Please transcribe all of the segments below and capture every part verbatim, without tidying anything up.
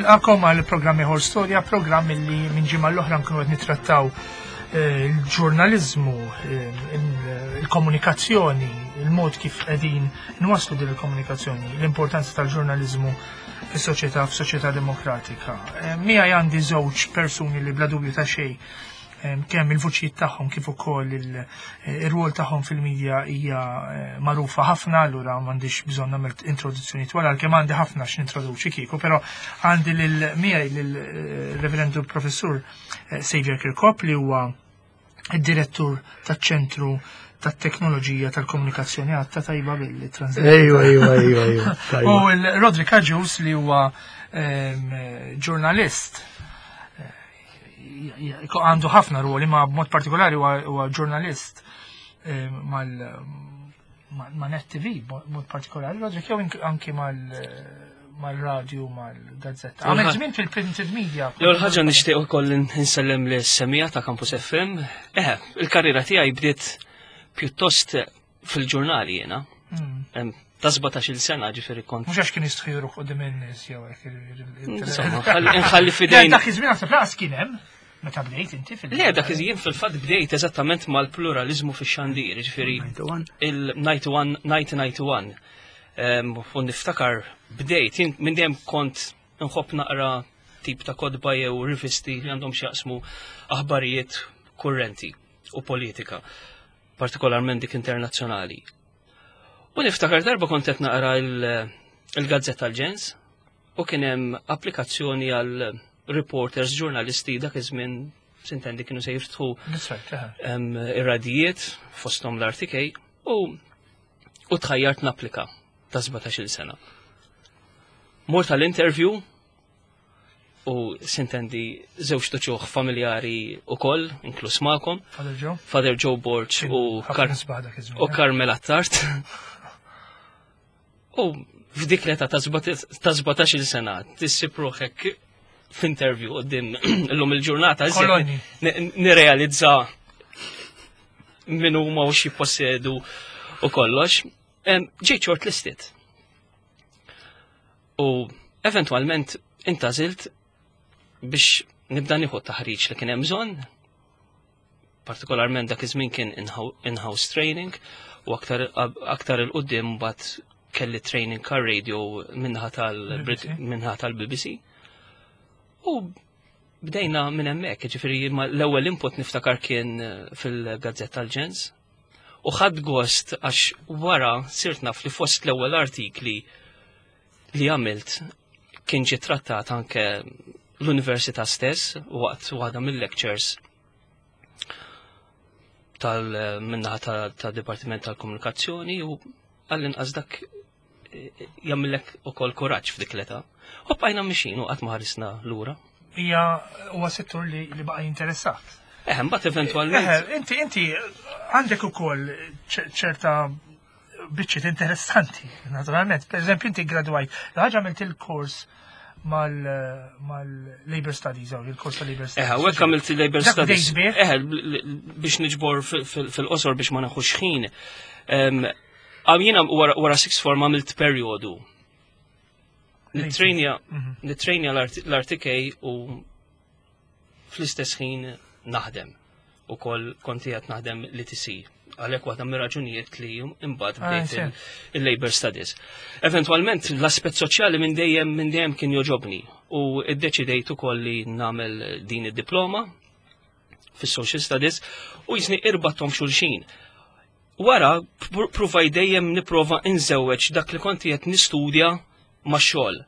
Nilqakom għal programm ieħor storja, programm li minn ġimgħa l-oħra nkunu qed nittrattaw eh, il-ġurnaliżmu, eh, il-komunikazzjoni, il-mod kif qegħdin nwaslu din il-komunikazzjoni, l-importanza tal-ġurnaliżmu fis-soċjetà, f'soċjetà demokratika. Eh, Miegħi għandi żewġ persuni li bla dubju ta' xejn kemm il-vuċijiet tagħhom kif ukoll ir-rwol tagħhom fil-medja hija eh, magħrufa ħafna, allura m'għandix bżonn nagħmel introduzzjoni twal għalkemm għandi ħafna x'nintroduċi kieku, però għandi lil miegħi lil-Reverendu Professur eh, Xavier Kirkop li huwa id-direttur taċ-ċentru tat-teknoloġija tal-komunikazzjoni għatta tajba billi translate. Ejwa, ejwa, ejwa, ejwa. U l-Roderick Agius li huwa em, ġurnalist eh, għandu ħafna ruoli ma b'mod partikolari huwa huwa ġurnalist eh, mal ma' ma' Net TV b'mod partikolari, Roderick jew ink- anki mal mal-radju, mal-gazzetta. Għamel żmien fil-printed media. L-ewwel ħaġa nixtieq ukoll insellem lis-semmiegħa ta' Campus FM. Eh, il-karriera tiegħi bdiet pjuttost fil-ġurnali jiena. Mm. Em, Ta' sbatax-il sena ġifieri kont. Mhux għax kien jistħiru quddiem in-nies jew hekk. Insomma, nħalli- nħalli fidejn. Dak iż-żmien naħseb laqas kien hemm meta bdejt inti fil- Le, dak iż-żmien fil-fatt bdejt eżattament mal-pluralizmu fix-xandir, ġifieri il-ninety-one, nineteen ninety-one. Em, U niftakar bdejt, jien minn dejjem kont nħobb naqra tip ta' kotba jew rivisti li għandhom x'jaqsmu aħbarijiet kurrenti u politika, partikolarment dik internazzjonali. U niftakar darba kont qed naqra il- il-Gazzetta l-Ġens u kien hemm applikazzjoni għal reporters, ġurnalisti dak iż-żmien sintendi kienu se jiftħu That's right, eh. em, ir-radijiet fosthom l-R T K u u tħajjart napplika ta' sbatax-il sena. Mort tal-interview u sintendi żewġ uċuħ familjari u koll, inkluż magħkom, Father Joe. Father Joe Borg u, Ħafna Kar nisbaħ dak iż-żmien, u eh. Carmel Attard. U f'dik l-età ta' sbatax-il sena tissib ruħek f'interview quddiem illum il-ġurnata iżjed Kolonni. ni- nirrealizza min huma u x'jippossedu u kollox. Em, Ġejt shortlisted. U eventwalment intgħażilt biex nibda nieħu taħriġ li kien hemm bżonn, partikolarment dak iż-żmien kien in-house training u aktar aktar 'il quddiem mbagħad kelli training car radio minnaħa B B C. tal-minnaħa tal-B B C. U bdejna minn hemmhekk, ġifieri ma l-ewwel input niftakar kien eh, fil-Gazzetta tal-Ġens. U ħadt gost għax wara sirt naf li fost l-ewwel artikli li għamilt kien ġie trattat anke l-università stess waqt waħda mill-lectures tal minnaħa ta' ta' Dipartiment tal-Komunikazzjoni u għall-inqas dak eh, jagħmillek ukoll kuraġġ f'dik l-età. U bqajna mixin u qatt ma ħarisna lura. Hija huwa settur li li baqa' jinteressak. Eh, mbagħad eventwalment Eh, inti inti għandek ukoll ċ- ċerta biċċiet interessanti, naturalment. Per eżempju, inti gradwajt. L-ħaġa għamilt il-kors mal-Labor Studies, jew il-kors ta' Labor Studies. Eh, u hekk għamilt il-Labor Dak Studies. bdejt bih? Eh, l- l- biex niġbor fil- fil- fil-qosor biex ma naħux ħin. Em, Għam jiena wara wara sixth form għamilt periodu. Nitrejnja Mhm. nitrejnja l-R T K u fl-istess ħin naħdem. U kol konti qed naħdem l-E T C. Għalhekk waħda mir-raġunijiet li imbagħad Ah, bdejt sew. il- il-Labor Studies. Eventualment l-aspett soċjali minn dejjem minn dejjem kien joġobni u iddeċidejt ukoll li nagħmel din id-diploma fis-Social Studies u jisni irbattom xulxin. Wara pr- pruvaj dejjem nipprova inżewweġ dak li kont qed nistudja ma' xogħol.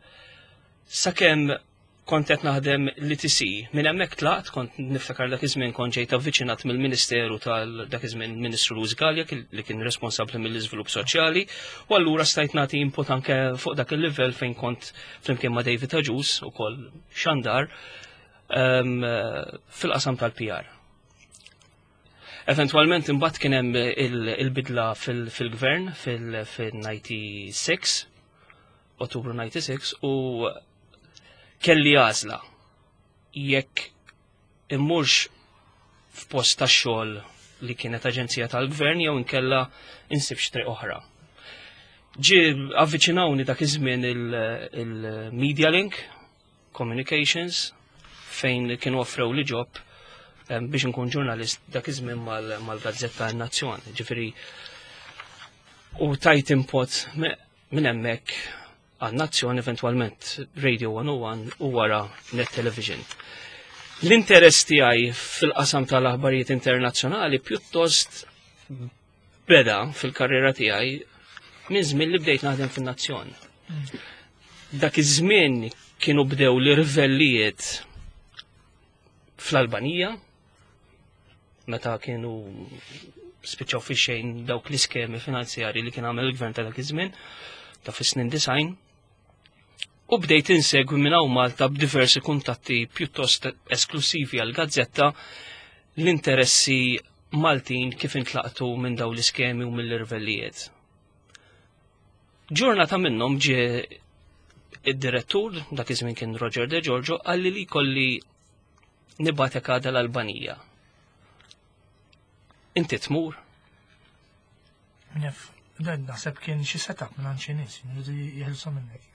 Sakemm kont qed naħdem l-E T C, minn hemmhekk tlaqt, kont niftakar dak iż-żmien kont ġejt avviċinat mill-Ministeru tal dak iż-żmien Ministru Louis Galea li kien responsabbli mill-iżvilupp soċjali, u allura stajt nagħti input anke fuq dak il-livell fejn kont flimkien ma' David Agius ukoll xandar em, fil-qasam tal-P R. Eventualment imbagħad kien hemm il- il-bidla fil- fil-gvern fil-disgħa u disgħin, Ottubru disgħa u disgħin, u kelli għażla jekk immurx f'post ta' xogħol li kienet aġenzija tal-gvern jew inkella insib triq oħra. Ġi avviċinawni dak iż-żmien il-Media Link Communications fejn kienu offrew li job biex nkun ġurnalist dak iż-żmien mal-Gazzetta Nazzjon. Ġifieri u tajt input minn hemmhekk għan-Nazzjon, eventwalment Radio one oh one u wara Net Television. L-interess tiegħi fil-qasam tal-aħbarijiet internazzjonali pjuttost beda fil-karriera tiegħi minn żmien li bdejt naħdem fin-Nazzjon. Dak iż-żmien kienu bdew l-irvellijiet fl-Albanija, meta kienu spiċċaw fi xejn dawk l-iskemi finanzjari li kien għamel il-gvern ta' dak iż-żmien ta' fis-snin disgħin. U bdejt insegwi minn hawn Malta b'diversi kuntatti pjuttost esklusivi għal gazzetta l-interessi Maltin kif intlaqtu minn daw l-iskemi u mill-irvellijiet. Ġurnata minnhom ġie id-direttur, dak iż-żmien kien Roger De Giorgio, qalli li kolli nibgħatek għada l-Albanija. Inti tmur? Nef, dan naħseb kien xi setup minn xi nies, jridu jeħilsu minnek.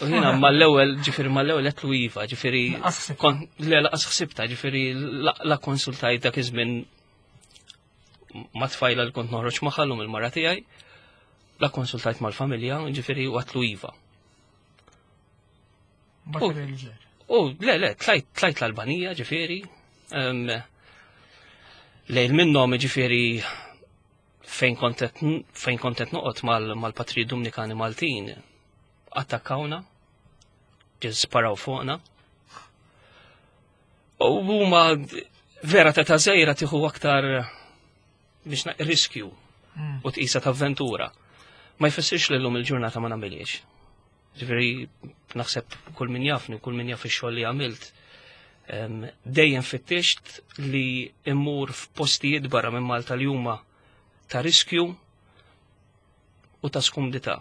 U jiena mal-ewwel, ġifieri mal-ewwel għedtlu iva, ġifieri Lanqas ħsibta. kon- le lanqas ħsibta, ġifieri la la konsultajt dak iż-żmien ma' tfajla li kont noħroġ magħha llum il-mara tiegħi, la konsultajt mal-familja, ġifieri u għedtlu iva. Mbagħad il-ġer. U le, le, tlajt, tlajt l-Albanija, ġifieri. em, Lejl minnhom, ġifieri, fejn kontet, fejn kontet noqgħod mal- mal-patri Dominikani Maltin, attakkawna, ġie sparaw fuqna. U huma vera ta' ta' żgħira tieħu aktar biex na- riskju Mm. u tqisa ta' avventura. Ma jfissirx li llum il-ġurnata ma nagħmilhiex. Ġifieri naħseb kull min jafni u kull min jaf ix-xogħol li għamilt, em, dejjem fittixt li immur f'postijiet barra minn Malta li huma ta' riskju u ta' skumdità.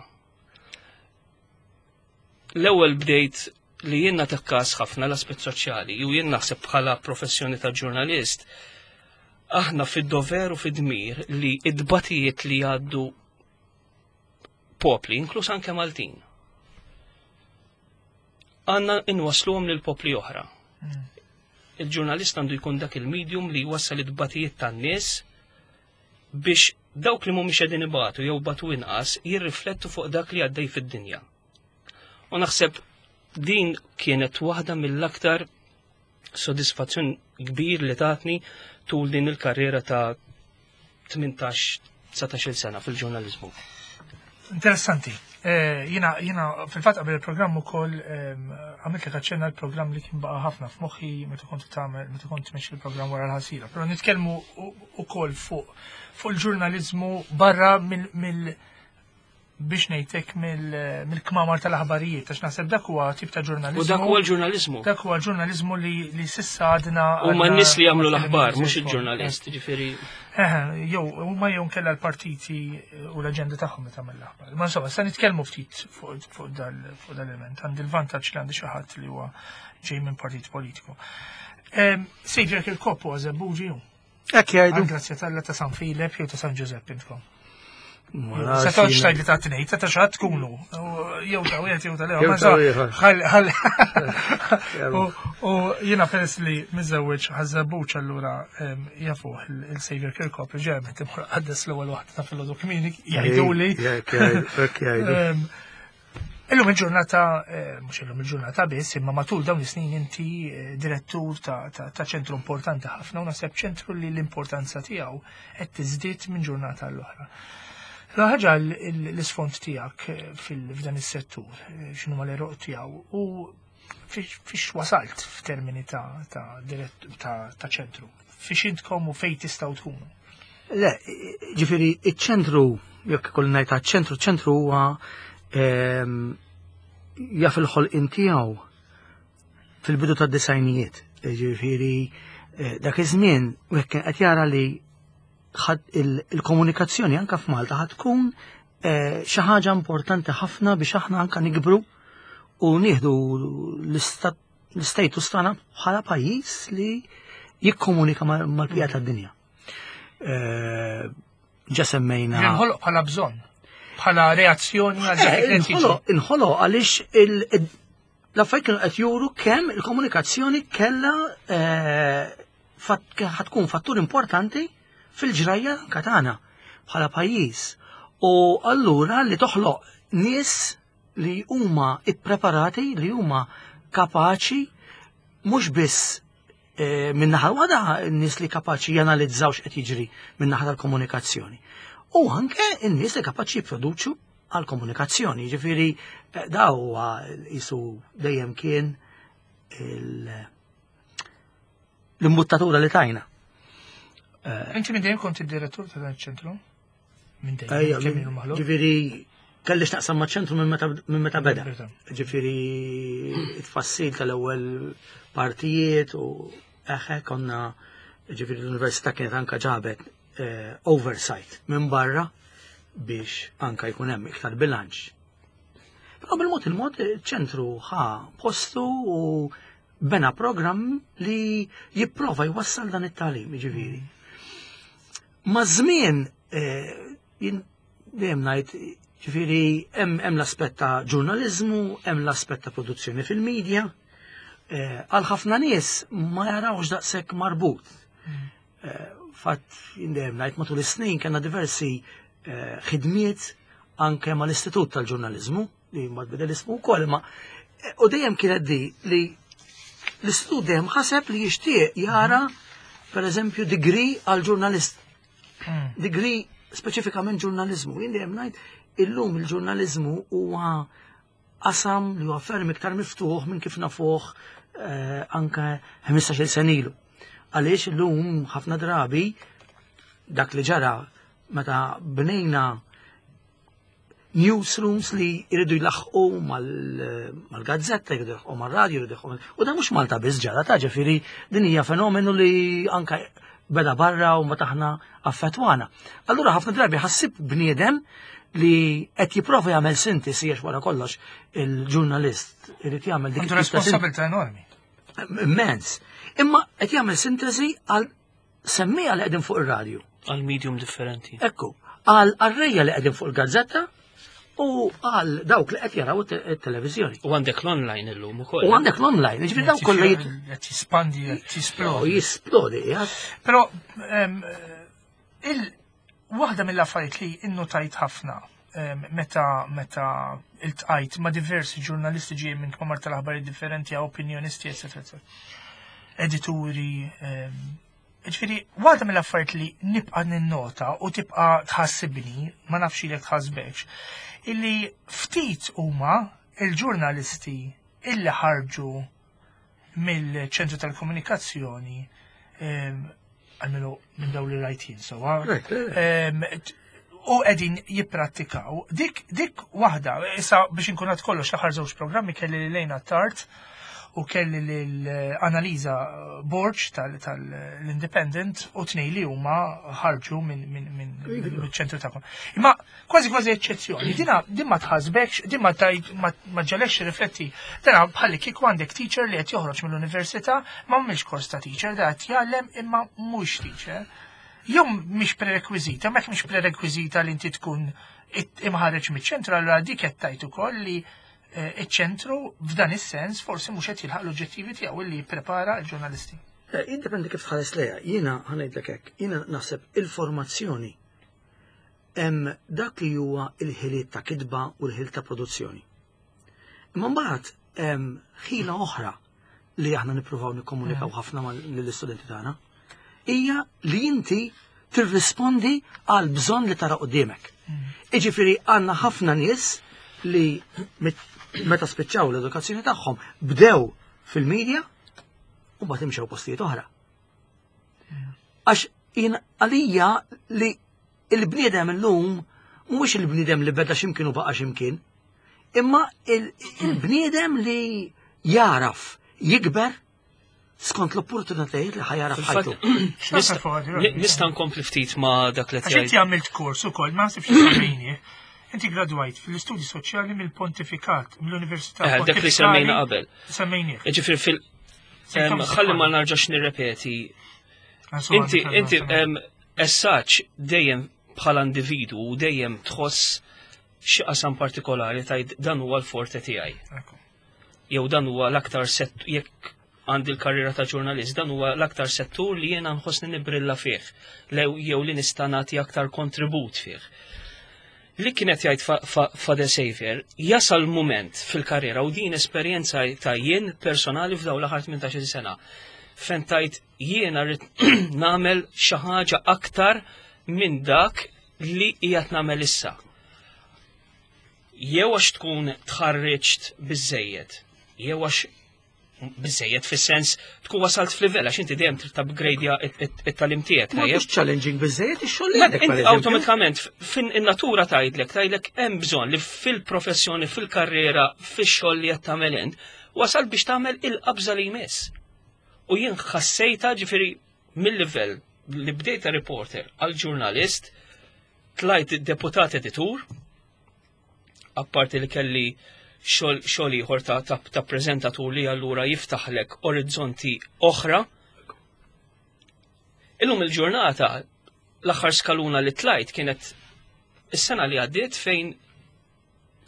L-ewwel bdejt li jien nagħti kas ħafna l-aspett soċjali u jien naħseb bħala professjoni ta' ġurnalist aħna fid-dover u fid-dmir li id-batijiet li jgħaddu popli, inkluż anke Maltin, għandna inwasluhom lil popli oħra. Mm. Il-ġurnalist għandu jkun dak il-medium li jwassal id-batijiet tan-nies biex dawk li mhumiex qegħdin ibatu jew batu inqas jirriflettu fuq dak li għaddej fid-dinja. U naħseb din kienet waħda mill-aktar sodisfazzjon kbir li tatni tul din il-karriera ta' tmintax-dsatax-il sena fil-ġurnalizmu. Interessanti. Eh, Jiena, jiena fil-fatt qabel il-programm ukoll ehm, għamilt lek aċċenna l-programm li kien baqa' ħafna f'moħħi meta kont tagħmel meta kont tmexxi il-programm Wara l-Ħasira. Però nitkellmu u- ukoll fuq fuq il-ġurnalizmu barra mill mill biex ngħidlek mill- mill-kmamar tal-aħbarijiet, għax naħseb dak huwa tip ta' ġurnalizmu. U dak huwa l-ġurnalizmu. Dak huwa ġurnalizmu li, li s'issa għadna. U ma għadna- n-nies li jagħmlu ma l-aħbar, mhux tkellimniex il-ġurnalist, ġifieri. Eh, jew, huma jew nkella l-partiti u l-aġenda tagħhom li tagħmel l-aħbar. Ma insomma, sa nitkellmu ftit fuq fuq dal fuq dal-element. Għandi l-vantaġġ li għandi xi ħadd li huwa ġej minn partit politiku. Saviour Kirkop huwa Żebbuġi hu. Hekk jgħidu. Grazzja t'Alla ta' San Filep jew ta' San Giuseppe intkom. Ma Se nafx toqgħodx jiena. tgħid li ta' tnejn, ta' xi ħadd tkunu. Jew ta' wieħed jew ta' l-ieħor. Jew Ma ta' insomma, ieħor. ħall- ħall- U u jiena peress li miżewweġ Ħaż-Żebbuġ allura em, jafuh il-Saviour Kirkop li ġemet imur qaddes l-ewwel waħda ta' filgħodu kmieni jgħiduli. Hekk jgħidu, hekk jgħidu. Em, Illum il-ġurnata, eh, mhux illum il-ġurnata biss, imma matul dawn is-snin inti eh, direttur ta' ta' ta' ċentru importanti ħafna u naħseb ċentru li l-importanza tiegħu qed tiżdied minn ġurnata l-oħra. L-ħaġa l-isfond tiegħek eh, fil- f'dan is-settur, eh, x'inhu l-għeruq tiegħu u fiex fiex wasalt f'termini ta' ta' dirett- ta' ta' ċentru. Fiex intkom u fejn tistgħu tkunu. Le, ġifieri, iċ-ċentru, jekk ikolli ngħid ċentru, ċentru huwa ehm, jaf il-ħolqien tiegħu fil-bidu tad-disgħinijiet. Ġifieri, eh, dak iż-żmien wieħed kien qed jara li ħad il- il-komunikazzjoni anka f'Malta ħad tkun eh, xi ħaġa importanti ħafna biex aħna anka nikbru u nieħdu l-istat- l-status tagħna bħala pajjiż li jikkomunika mal- mal-bqija tad-dinja. Eh, Ġa semmejna. Inħoloq bħala bżonn, bħala reazzjoni għal dak li qed jiġri. Inħoloq inħoloq għaliex il- L-affarijiet kienu qed juru kemm il-komunikazzjoni kellha eh, fat- ħa tkun fattur importanti fil-ġrajja tagħna bħala pajjiż. U allura li toħloq nies li huma ippreparati, li huma kapaċi mhux biss eh, minn naħa waħda n-nies li kapaċi janalizzaw x'qed jiġri minn naħa tal-komunikazzjoni. U anke n-nies li kapaċi jipproduċu għal-komunikazzjoni. Ġifieri eh, da huwa jisu dejjem kien il- l-imbuttatura li tajna. Inti minn dejjem kont id-direttur ta' dan iċ-ċentru? Minn Ejja, dejjem, kemm ilu maħluq? Ġifieri kellix naqsam maċ-ċentru minn meta minn meta beda. Beda. Ġifieri it-tfassil tal-ewwel partijiet u eħe konna ġifieri l-università kienet anka ġabet eh, oversight minn barra biex anka jkun hemm iktar bilanċ. Però bil-mod il-mod ċentru ħa postu u bena program li jipprova jwassal dan it-tagħlim, ġifieri. Ma żmien eh, jien dejjem ngħid ġifieri hemm hemm l-aspett ta' ġurnaliżmu, hemm l-aspett ta' produzzjoni fil-medja. Eh, Għal ħafna nies ma jarawx daqshekk marbut. Eh, Fatt jien dejjem ngħid matul is-snin kellna diversi eh, ħidmiet anke mal-Istitut tal-Ġurnaliżmu li ma tbidel ismu wkoll imma eh, u dejjem kienet di li l-istitut dejjem ħaseb li jixtieq jara per eżempju degree għal ġurnalist Mm. degree speċifikament ġurnalizmu. Jien dejjem ngħid illum il-ġurnalizmu huwa qasam li huwa ferm iktar miftuħ minn kif nafuh eh, anke ħmistax-il sena ilu. Għaliex illum ħafna drabi dak li ġara meta bnejna newsrooms li jridu jlaħqu mal-gazzetta, jridu jlaħqu mal-radio, jridu jlaħqu mal- U da mhux Malta biss ġara ta' ġifieri din hija fenomenu li anka beda barra u ma taħna affettwana. Allura ħafna drabi ħassib bniedem li qed jipprova jagħmel sintesi għax wara kollox il-ġurnalist irid jagħmel dik Għandu it-tip ta' sintesi responsabilità enormi. immens. Imma qed jagħmel sintesi għal semmija li qegħdin fuq ir-radju. Għal medium differenti. Ekku, għal qarrejja li qegħdin fuq il-gazzetta u għal dawk li qed jaraw it-televizjoni. U għandek l-online illum ukoll. U għandek l-online, ġifieri dawk kollha jit- Qed jispandi, qed u jisplodi. jisplodi, ja. Però em, il waħda mill-affarijiet li innotajt ħafna em, meta meta iltqajt ma' diversi ġurnalisti ġej minn kmamar tal-aħbarijiet differenti, opinjonisti, eccetera, eccetera. Edituri, em, ġifieri, waħda mill-affarijiet li nibqa' ninnota u tibqa' tħassibni, ma nafx ilek tħassbekx, illi ftit huma il-ġurnalisti illi ħarġu mill-ċentru tal-komunikazzjoni em, għalmenu minn dawn li rajt jien sewwa. Right, right. Em, t- U qegħdin jipprattikaw. Dik, dik waħda, issa biex inkun għad kollox l-aħħar żewġ programmi kelli lil Lejna Tart u kelli l-Analiza Borg tal-Independent u tnej li huma ħarġu minn min, min, min ċentru tagħkom. Imma kważi kważi eċċezzjoni. Dina din ma tħasbekx, din ma tajt ma ma ġalekx rifletti. Dina bħalli kieku għandek teacher li qed joħroġ mill-università ma mhix kors ta' teacher, da qed jgħallem imma mhux teacher. Jew mhix prerekwiżita, mek mhix prerekwiżita li inti tkun it- imħarreġ miċ-ċentru, allura dik qed tajt ukoll li eh, iċ-ċentru f'dan is-sens forsi mhux qed jilħaq l-oġġettivi tiegħu li jipprepara l-ġurnalisti. Eh, Jiddependi kif tħares lejha. Jiena ħa ngħidlek hekk, jiena naħseb il-formazzjoni hemm dak li huwa il-ħiliet ta' kitba u l-ħiliet ta' produzzjoni. Imma mbagħad hemm ħila oħra li aħna nippruvaw nikkomunikaw ħafna lill-istudenti tagħna hija li inti tirrispondi għal bżonn li tara quddiemek. Iġifieri għandna ħafna nies li mit- meta spiċċaw l-edukazzjoni tagħhom bdew fil-medja u mbagħad imxew postijiet oħra. Għax jien għalija li il-bniedem illum mhuwiex il-bniedem li beda x'imkien u baqa' x'imkien, imma il- il-bniedem li jaraf jikber skont l-opportunitajiet li ħa jara f'ħajtu. X'naħseb fuq għadi, Nista' nista' nkompli ftit ma' dak li Għax inti tgħid. għamilt kors ukoll, ma nsibx semmejni. Inti gradwajt fil-istudji soċjali mill-Pontifikat, mill-Università Eh, dak li semmejna qabel. Semmejnieh. Ġifieri fil em, ħalli ma narġax nirrepeti. Inti inti em, essaċ dejjem bħala individu u dejjem tħoss xi qasam partikolari tgħid dan huwa l-forte tiegħi. Jew dan huwa l-aktar settur, jekk għandi l-karriera ta' ġurnalist, dan huwa l-aktar settur li jiena nħossni nibrilla fih, jew li nista' nagħti aktar kontribut fih. Li kienet jgħid Father Xavier, jasal moment fil-karriera, u din esperjenza ta' jien personali f'dawn l-aħħar tmintax-il sena, fejn tajt jiena rrid nagħmel xi ħaġa aktar minn dak li qiegħed nagħmel issa. Jew għax tkun tħarriġt biżejjed, jew għax biżejjed fis-sens tkun wasalt f'livell, għax inti dejjem trid upgradeja it-tagħlim tiegħek. Ma mhux challenging biżejjed ix-xogħol li għandek. Inti awtomatikament fin in-natura tgħidlek tgħidlek hemm bżonn li fil-professjoni, fil-karriera, fix-xogħol li qed tagħmel int, wasal biex tagħmel il-qabża li jmiss. U jien ħassejta, ġifieri, mill-livell li bdejta reporter għal ġurnalist, tlajt deputat editur, apparti li kelli xogħol ieħor ta', ta, ta preżentatur li allura jiftaħlek orizzonti oħra. Illum il-ġurnata l-aħħar skaluna li tlajt kienet is-sena li għaddiet, fejn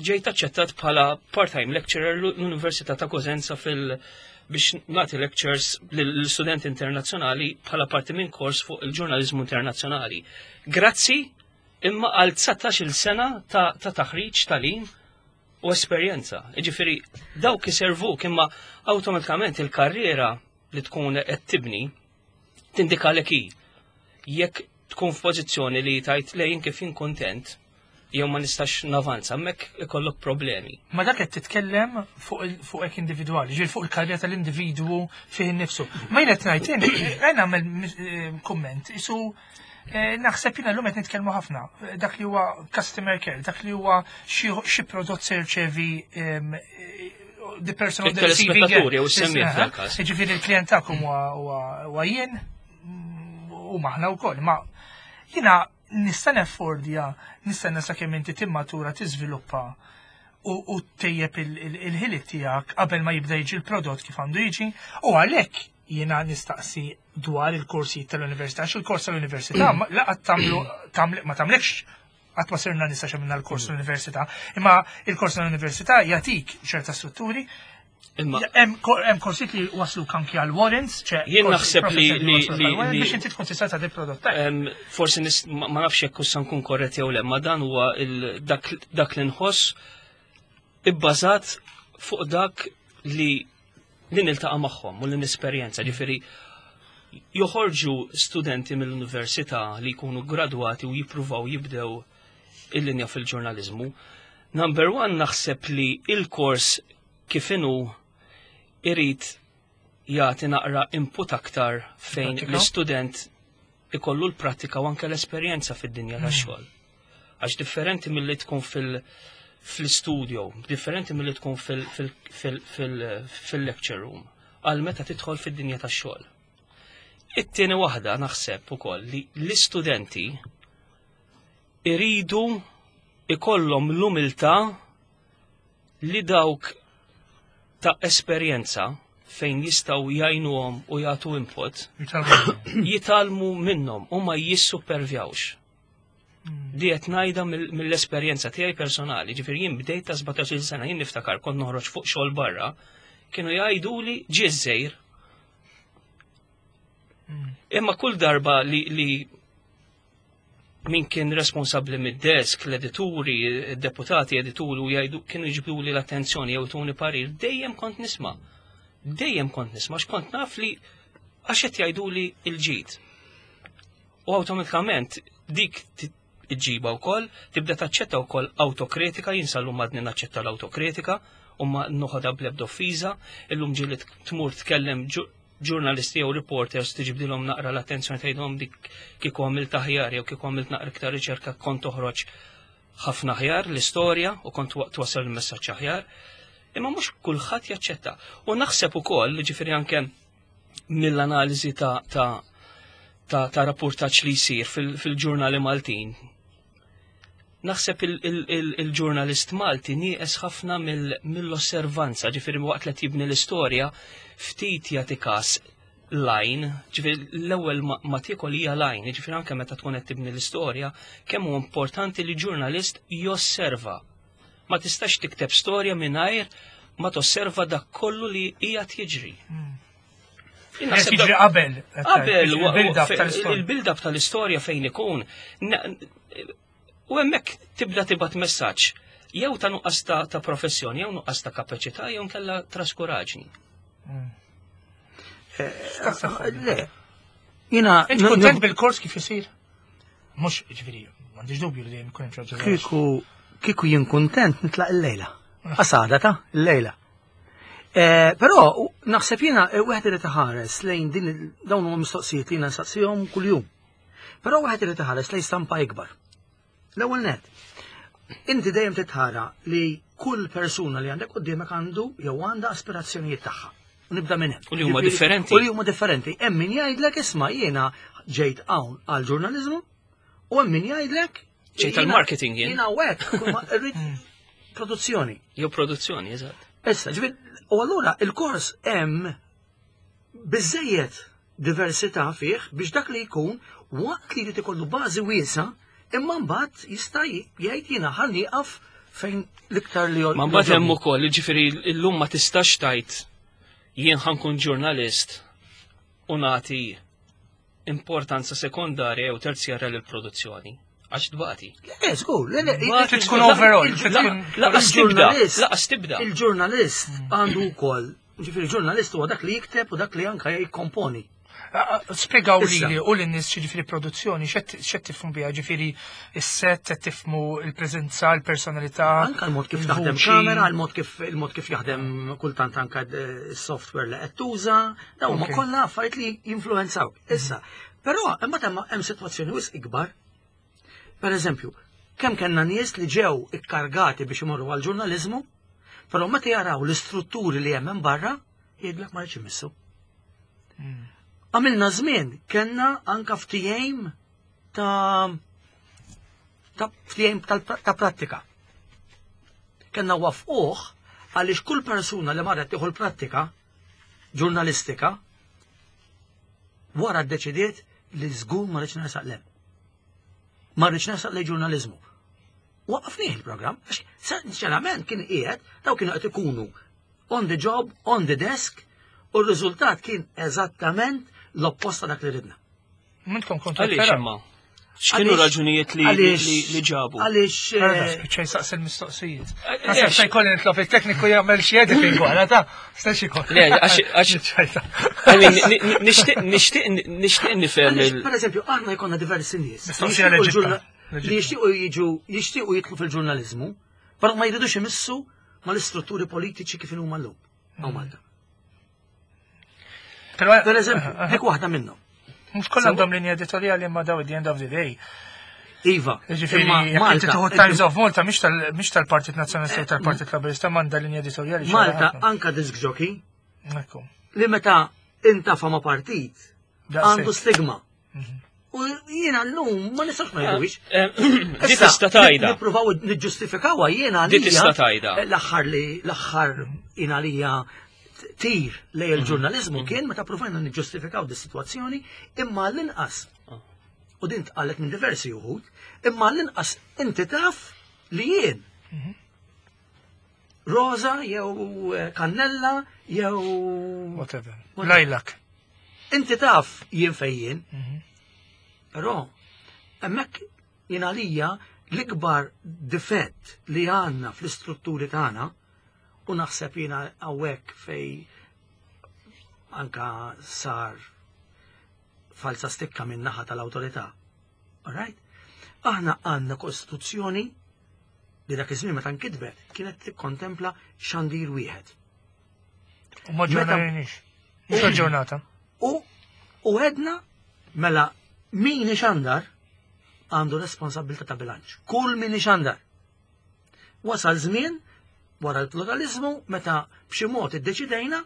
ġejt aċċettat bħala part-time lecturer l-Università ta' Cosenza fil- biex nagħti lectures lill-studenti internazzjonali bħala parti minn kors fuq il-ġurnalizmu internazzjonali. Grazzi imma għal dsatax-il sena ta', ta taħriġ, tagħlim u esperjenza. Ġifieri, dawk iservuk, imma awtomatikament il-karriera li tkun qed tibni tindikalek hi. Jekk tkun f'pożizzjoni li tajt lejn kif jien kontent jew ma nistax navanza, hemmhekk ikollok problemi. Ma dak qed titkellem fuq il- fuq hekk individwali, ġifieri fuq il-karriera tal-individwu fih innifsu. Ma jien qed ngħid, jien nagħmel eh, kumment, isu eh, naħseb jiena llum qed nitkellmu ħafna dak li huwa customer care, dak li huwa xi xi prodott se jirċevi em, eh, the person on the receiving end. Il-telespettatur jew is-semmiegħ f'dal-każ. Ġifieri il-klient tagħkom huwa huwa jien mm, u maħna wkoll, ma jiena nista' neffordja, nistenna sakemm inti timmatura, tiżviluppa u, u tejjeb il-ħiliet tiegħek qabel ma jibda jiġi l-prodott kif għandu jiġi, u għalhekk jiena nistaqsi dwar il-korsi tal-università, għax il-kors tal-università ma- laqat tagħmlu tamle- ma tagħmlekx, qatt ma sirna nista' xemminna l-kors tal-università, imma il-kors tal-università jagħtik ċerta strutturi. Imma Hemm ko- hemm korsijiet li waslu anki għal warrants, ċe Jien korsi naħseb li- professjoni li- waslu li- għal warrants li- biex inti tkun tista' tagħti prodott tajjeb. Em, forsi nis, ma ma nafx jekk issa nkun korrett jew le, ma dan huwa il- dak, dak li nħoss ibbażat fuq dak li li niltaqa' magħhom u li nesperjenza. Ġifieri joħorġu studenti mill-università li jkunu gradwati u jippruvaw jibdew il-linja fil-ġurnalizmu. Number one, naħseb li il-kors kif inhu irid jagħti naqra input aktar fejn Prattika? l-istudent ikollu l-prattika u anke l-esperjenza fid-dinja tax-xogħol. Għax differenti milli tkun fil- fil-studio, differenti milli tkun fil- fil- fil- fil- fil-lecture room, għal meta tidħol fid-dinja tax-xogħol. It-tieni waħda, naħseb ukoll li l-istudenti iridu ikollhom l-umiltà li dawk ta' esperjenza fejn jistgħu jgħinuhom u jagħtu input jitgħallmu minnhom u ma jissupervjawx. Di qed ngħidha mill- mill-esperjenza tiegħi personali, ġifieri jien bdejt ta' sbatax-il sena, jien niftakar kont noħroġ fuq xogħol barra, kienu jgħiduli ġie żejr. Imma kull darba li, li min kien responsabli mid-desk, l-edituri, deputati edituri u jgħidu, kienu jġibdu li l-attenzjoni jew tuni parir, dejjem kont nisma'. Dejjem kont nisma', x'kont naf li għax qed jgħidu li il-ġid. U awtomatikament dik ti- iġġiba wkoll, tibda taċċetta wkoll autokritika. Jien sal-lum għadni naċċetta l-autokritika u ma noħodha bl-ebda offiża. Illum ġieli tmur tkellem ġu- ġurnalisti jew reporters, tiġbdilhom naqra l-attenzjoni, tgħidhom dik kieku għamilt aħjar jew kieku għamilt naqra iktar riċerka kont toħroġ ħafna aħjar l-istorja u kont wa- twassal il-messaġġ aħjar. Imma mhux kulħadd jaċċetta. U naħseb ukoll, ġifieri anke mill-analiżi ta' ta' ta', ta' rapportaġġ li jsir fil- fil-ġurnali Maltin. Naħseb il-ġurnalist Malti nieqes ħafna mill- mill-osservanza, ġifieri waqt li tibni l-istorja ftit jagħti każ line, ġifieri l-ewwel ma, ma tiekol hija line, ġifieri anke meta tkun qed tibni l-istorja, kemm huwa importanti li ġurnalist josserva. Ma tistax tikteb storja mingħajr ma tosserva dak kollu li qiegħed jiġri. Qed jiġri qabel. Qabel, il-build-up tal-istorja. Il-build-up tal-istorja fejn ikun. U hemmhekk tibda tibgħat messaġġ jew ta' nuqqas ta' professjoni, jew nuqqas ta' kapaċità, jew nkella traskuraġni. Le. Jiena. Inti kontent bil-kors kif isir? Mhux, ġifieri, m'għandix dubju li dejjem ikun hemm xi ħaġa. Kieku kieku jien kuntent nitlaq il-lejla. Qasada ta' il-lejla. Però naħseb jiena wieħed irid iħares lejn din dawn huma mistoqsijiet li jiena nsaqsihom kuljum. Però wieħed irid iħares lejn stampa ikbar. L-ewwel net. Inti dejjem titħara li kull persuna li għandek quddiemek għandu jew għandha aspirazzjonijiet tagħha. U nibda minn hemm. U li huma differenti. U li huma differenti. Hemm min jgħidlek isma' jiena ġejt hawn għal ġurnaliżmu u hemm min jgħidlek ġejt għal marketing jien. Jiena hawnhekk irrid produzzjoni. Jew produzzjoni, eżatt. Issa, ġifieri, u allura il-kors hemm biżejjed diversità fih biex dak li jkun waqt li jrid ikollu bażi wiesa' imma mbagħad jista' jgħid jiena ħa nieqaf fejn l-iktar li Ma mbagħad hemm ukoll, jiġifieri llum ma tistax tgħid jien ħa nkun ġurnalist u nagħti importanza sekondarja jew terzjarja lill-produzzjoni. Għax tbati. Le, żgur, le, le, Trid tkun overall, trid tkun Laqas tibda, laqas tibda. Il-ġurnalist għandu wkoll, ġifieri ġurnalist huwa dak li jikteb u dak li anke jikkomponi. Spjegaw li u l-nies ġifieri produzzjoni, x'qed tifhmu biha, ġifieri is-set, qed tifhmu il-preżenza, il-personalità. Anka l-mod kif taħdem kamera, il-mod kif il-mod kif jaħdem kultant anka s-software li qed tuża, dawn huma kollha affarijiet li jinfluwenzaw. Issa, però imma hemm sitwazzjoni wisq ikbar. Per eżempju, kemm kellna nies li ġew ikkargati biex imorru għal-ġurnaliżmu, però meta jaraw l-istrutturi li hemm barra, jgħidlek ma rridx imissu. Għamilna żmien kellna anka ftehim ta' ta' ftehim ta' prattika. Kellna wafquh għaliex kull persuna li marret tieħu l-prattika ġurnalistika wara ddeċidiet li żgur ma rridx nersaq lem. Ma rridx nersaq lejn ġurnaliżmu. Waqafnieh il-programm, għax sinċerament kien qiegħed daw kienu qed ikunu on the job, on the desk, u r-riżultat kien eżattament l-opposta dak li ridna. Minnkom kontu Għaliex imma? X'kienu raġunijiet li li ġabu? Għaliex. Spiċċa jsaqsi l-mistoqsijiet. Naħseb se jkolli nitlob il-tekniku jagħmel xi editing wara ta' stex ikoll. Le, għax għax nixtieq nixtieq nixtieq nifhem il. Per eżempju, aħna jkollna diversi nies. Mistoqsija leġittima. Li jixtiequ jiġu jixtiequ jidħlu fil-ġurnaliżmu, però ma jridux imissu mal-istrutturi politiċi kif huma llum. Hawn Malta. Per eżempju, dik waħda minnhom. Mhux kollha għandhom linja editorjali imma daw at the end of the day. Iva, Ġifieri, jekk inti tieħu Times of Malta mhix tal-Partit Nazzjonalista u tal-Partit Laburista m'għandha linja editorjali. Malta anka disc jockey. Ekku. Li meta intafa ma' partit għandu stigma. U jiena llum ma nistax ma jgħidux. Di tista' tgħidha. Nippruvaw niġġustifikawha jiena Di tista' tgħidha. L-aħħar li l-aħħar jiena għalija tir lej il-ġurnalizmu kien meta provajna niġġustifikaw di situazzjoni imma l-inqas. U din tqalet minn diversi uħud, imma l-inqas inti taf li jien. Rosa jew kannella jew whatever. Lajlak. Inti taf jien fejjien. Però hemmhekk jien għalija l-ikbar difett li għandna fl-istrutturi tagħna u naħseb jiena hawnhekk fej anka sar falsa stikka minn naħa tal-awtorità. Alright? Aħna għandna kostituzzjoni li dak iż-żmien meta nkitbet kienet tikkontempla xandir wieħed. U ma ġurnalniex. Mhux ġurnata. U u għedna mela min ixandar għandu responsabilità ta' bilanċ. Kull min ixandar. Wasal żmien wara l-pluralizmu meta b'xi mod iddeċidejna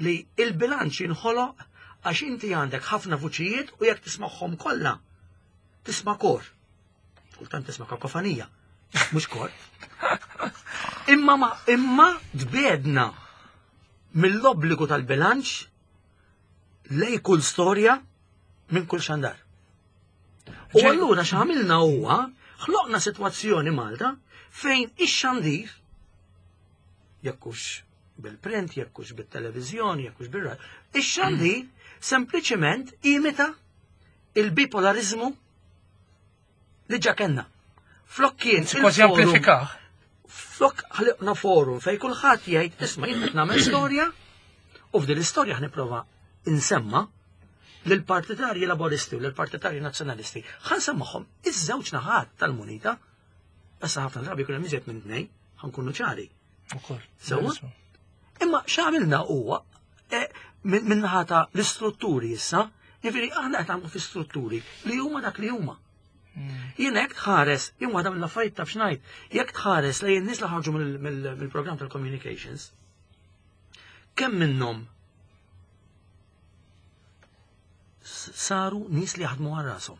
li il-bilanċ jinħoloq għax inti għandek ħafna vuċijiet u jekk tismagħhom kollha tisma' kor. Kultant tisma' kakofanija, mhux kor. Imma ma imma tbedna mill-obbligu tal-bilanċ lej kull storja minn kull xandar. U allura x'għamilna huwa ħloqna sitwazzjoni Malta fejn ix-xandir Jekk hux bil-print, jekk hux bit-televiżjoni, jekk hux bir-radio. Ix-xandir sempliċement imita il-bipolarizmu li ġa kellna. Flok kien Kważi il-forum- amplifikah. Flok ħliqna forum fej kulħadd jgħid isma' jien qed nagħmel storja u f'din l-istorja ħnipprova insemma lill-partitarji laboristi u lill-partitarji nazzjonalisti. Ħa nsemmahom iż-żewġ naħat tal-munita. Issa ħafna drabi jkun hemm iżjed minn tnejn, ħa nkunu ċari. Ukoll. Sewwa? Imma x'għamilna huwa eh, minn min naħa ta' l-istrutturi issa, jiġifieri aħna qed nagħmlu fi strutturi li huma dak li huma. Jien jekk tħares, jien waħda mill-affarijiet taf x'ngħid, jekk tħares lejn in-nies li ħarġu mill- mill- mill-programm tal-communications, kemm minnhom s- saru nies li jaħdmu għal rashom.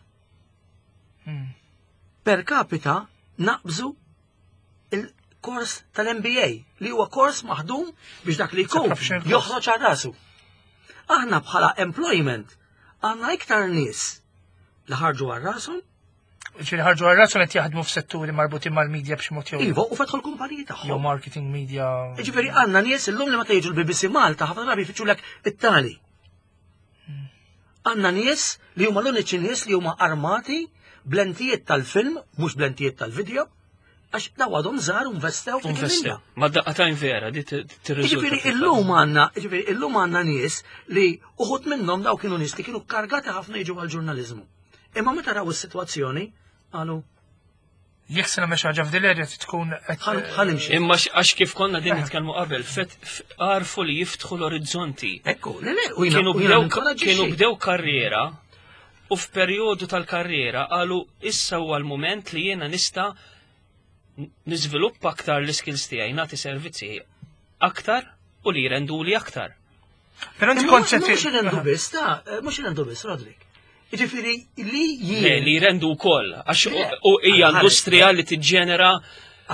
Mm. Per capita naqbżu il-kors tal-M B A li huwa kors maħdum biex dak li jkun professional course. joħroġ għal rasu. Aħna bħala employment għandna iktar nies li ħarġu għal rashom, Ġifieri ħarġu għal rashom qed jaħdmu f'setturi marbutin mal-media b'xi mod jew iva, u fetħu l-kumpaniji jew tagħhom. marketing media. Ġifieri għandna nies illum li meta jiġu l-B B C Malta ħafna drabi jfittxulek it-tali. Għandna nies li huma l-uniċi nies li huma armati b'lentijiet tal-film, mhux b'lentijiet tal-video, għax daw għadhom żgħar u investew f'dik Investew. il-linja. Ma daqqatajn vera, di tirriżulta. Ġifieri illum għandna, ġifieri illum għandna nies li uħud minnhom daw kienu nies li kienu kargati ħafna jiġu għal-ġurnaliżmu. Imma meta raw is-sitwazzjoni, qalu Jekk se nagħmel xi ħaġa f'dil area trid tkun qed ħa ħa nimxi. Imma x- għax kif konna din nitkellmu qabel, fet f- għarfu li jiftħu l-orizzonti. Ekku, le le, u jiena Kienu u jiena bdew ninkoraġġixxi. kienu bdew karriera u f'perjodu tal-karriera qalu issa huwa l-mument li jiena nista' niżviluppa aktar l-skills tiegħi, nagħti servizzi aktar u li jrenduli aktar. Però inti Imma kont se mhux irendu biss, ta' mhux irendu biss, Roderick. Jiġifieri li Le, jien li jrendu wkoll, għax Le, u hija għal ħares- industrija li tiġġenera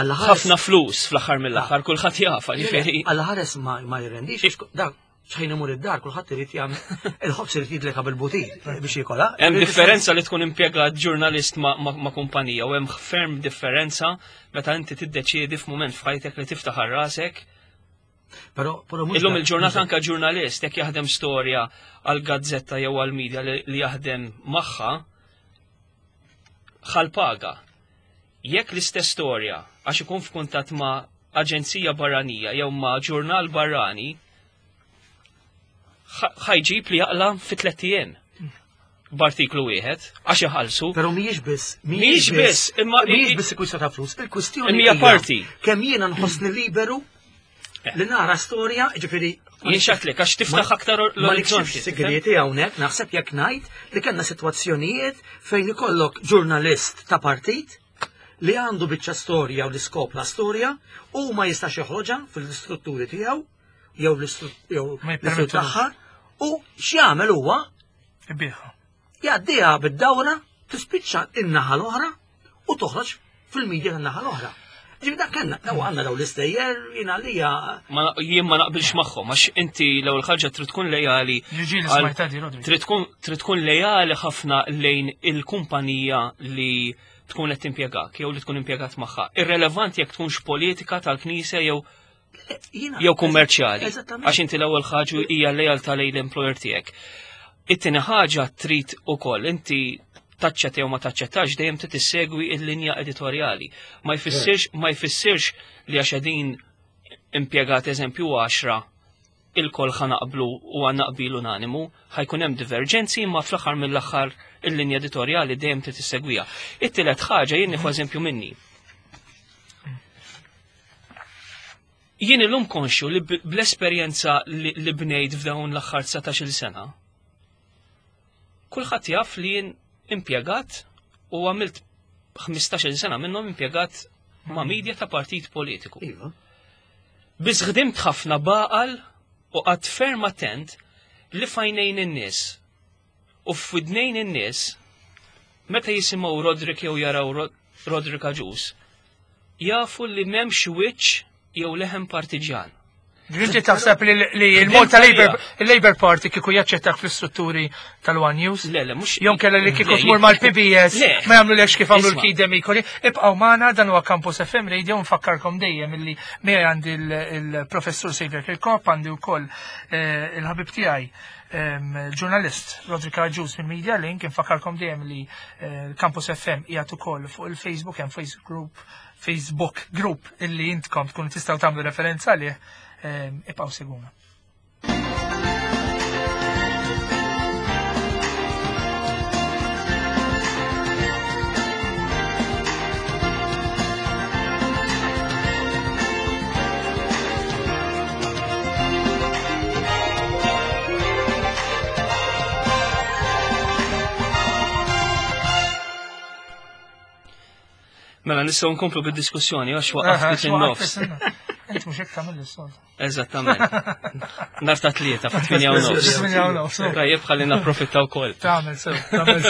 Alla ħares- ħafna flus fl-aħħar mill-aħħar, kulħadd jafa, ġifieri. Alla ħares ma ma jirrendix, għax dak xejn imur id-dar, kulħadd irid jagħmel il-ħobż irid jidleka bil-butir biex jikola. Hemm differenza li tkun impjegat ġurnalist ma, ma, ma kumpanija u hemm ferm differenza meta inti tiddeċiedi f'mument f'ħajtek li tiftaħ għal rasek. Però però mhux Illum dak- il-ġurnata anka ġurnalist jekk jaħdem storja għal gazzetta jew għal media li, li jaħdem magħha ħal paga. Jekk l-istess storja għax ikun f'kuntatt ma' aġenzija barranija jew ma' ġurnal barrani, ħa- ħa jġib li jaqla fi tliet ijiem b'artiklu wieħed għax iħallsu. Però mhijiex biss, Mhijiex biss, imma- mhijiex biss kwistjoni ta' flus, il-kwistjoni Imma hija parti. Kemm jiena nħossni liberu li nara storja, ġifieri Jien xatlek għax tiftaħ aktar Ma l-orizzonti. nikxifx segreti hawnhekk, naħseb jekk ngħid li kellna sitwazzjonijiet fejn ikollok ġurnalist ta' partit li għandu biċċa storja u l-iskop la storja u ma jistax joħroġha fil-istrutturi tiegħu jew l-istru- jew Ma l-istrutturi jippermettulux. tagħha u x'jagħmel huwa Ibiħa. jgħaddiha bid-dawra tispiċċa in-naħa l-oħra u toħroġ fil-medja tan-naħa l-oħra. Ġifieri dak kellna, daw għandna daw l-istejjer jiena għalija Ma jien ma naqbilx magħhom għax inti l-ewwel ħaġa trid tkun lejali Ġiġi li għal- smajta di, Roderick. trid tkun trid tkun lejali ħafna lejn il-kumpanija li tkun qed timpjegak jew li tkun impjegat magħha. Irrelevanti jekk tkunx politika tal-Knisja jew jiena jew kummerċjali. Eżattament. Għax inti l-ewwel ħaġa hija lejaltà lejn l-employer tiegħek. It-tieni ħaġa trid ukoll inti taċċetta jew ma taċċettax dejjem trid tissegwi l-linja editorjali. Ma jfissirx ma jfissirx li għax qegħdin impjegat eżempju għaxra il-koll ħa naqblu u għandna qbil unanimu, ħa jkun hemm diverġenzi imma fl-aħħar mill-aħħar il-linja editorjali dejjem trid tissegwiha. It-tielet ħaġa jien nieħu eżempju minni. Jien illum konxju li b- bl-esperjenza li, li bnejt f'dawn l-aħħar dsatax-il sena, kulħadd jaf li jien impjegat u għamilt ħmistax-il sena minnhom impjegat ma' media ta' partit politiku. Iva. Biss ħdimt ħafna baqal u qatt ferm attent li fajnejn in-nies u f'widnejn in-nies meta jisimgħu Roderick jew jaraw Rod- Roderick Agius jafu li m'hemmx wiċċ jew leħen partiġjan. Inti taħseb li l-Malta Labour Party kieku jaċċettak fl-istrutturi tal-One News? Le, le, mhux. Jew kella li kieku tmur mal-P B S, ma jagħmlu lekx kif għamlu l-Kid Demicoli. Ibqgħu magħna, dan huwa Campus F M Radio, nfakkarkom dejjem illi miegħi għandi il-Professur Xavier Kirkop, għandi wkoll il-ħabib tiegħi il-ġurnalist Roderick Agius minn Media Link. Nfakkarkom dejjem li Campus F M qiegħed ukoll fuq il-Facebook, hemm Facebook group, Facebook group illi intkom tkunu tistgħu tagħmlu referenza għalih. Ibqgħu seguna. Mela nistgħu nkomplu bid-diskussjoni għax waqaf in-nofs. Int mhux hekk tagħmel is-soltu. Eżattament. Nar ta' tlieta fit-tminja u nofs. Tajjeb ħalli napprofitta wkoll. Tagħmel sew, tagħmel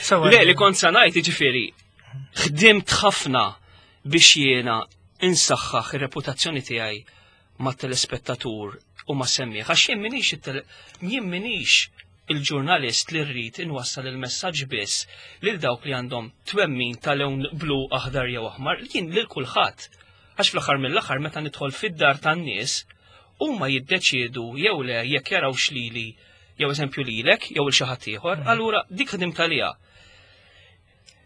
sew. Le, li kont sa ngħid jiġifieri ħdimt ħafna biex jiena insaħħaħ ir-reputazzjoni tiegħi mat-telespettatur u ma' semmieħ, għax jien minix jien minix il-ġurnalist li rrid inwassal il-messaġġ biss lil dawk li għandhom twemmin ta' lewn blu, aħdar jew aħmar, jien lil kulħadd. Għax fl-aħħar mill-aħħar meta nidħol fid-dar tan-nies huma jiddeċiedu jew le jekk jarawx lili jew eżempju lilek jew il xi ħadd ieħor, allura dik ħdimt għaliha.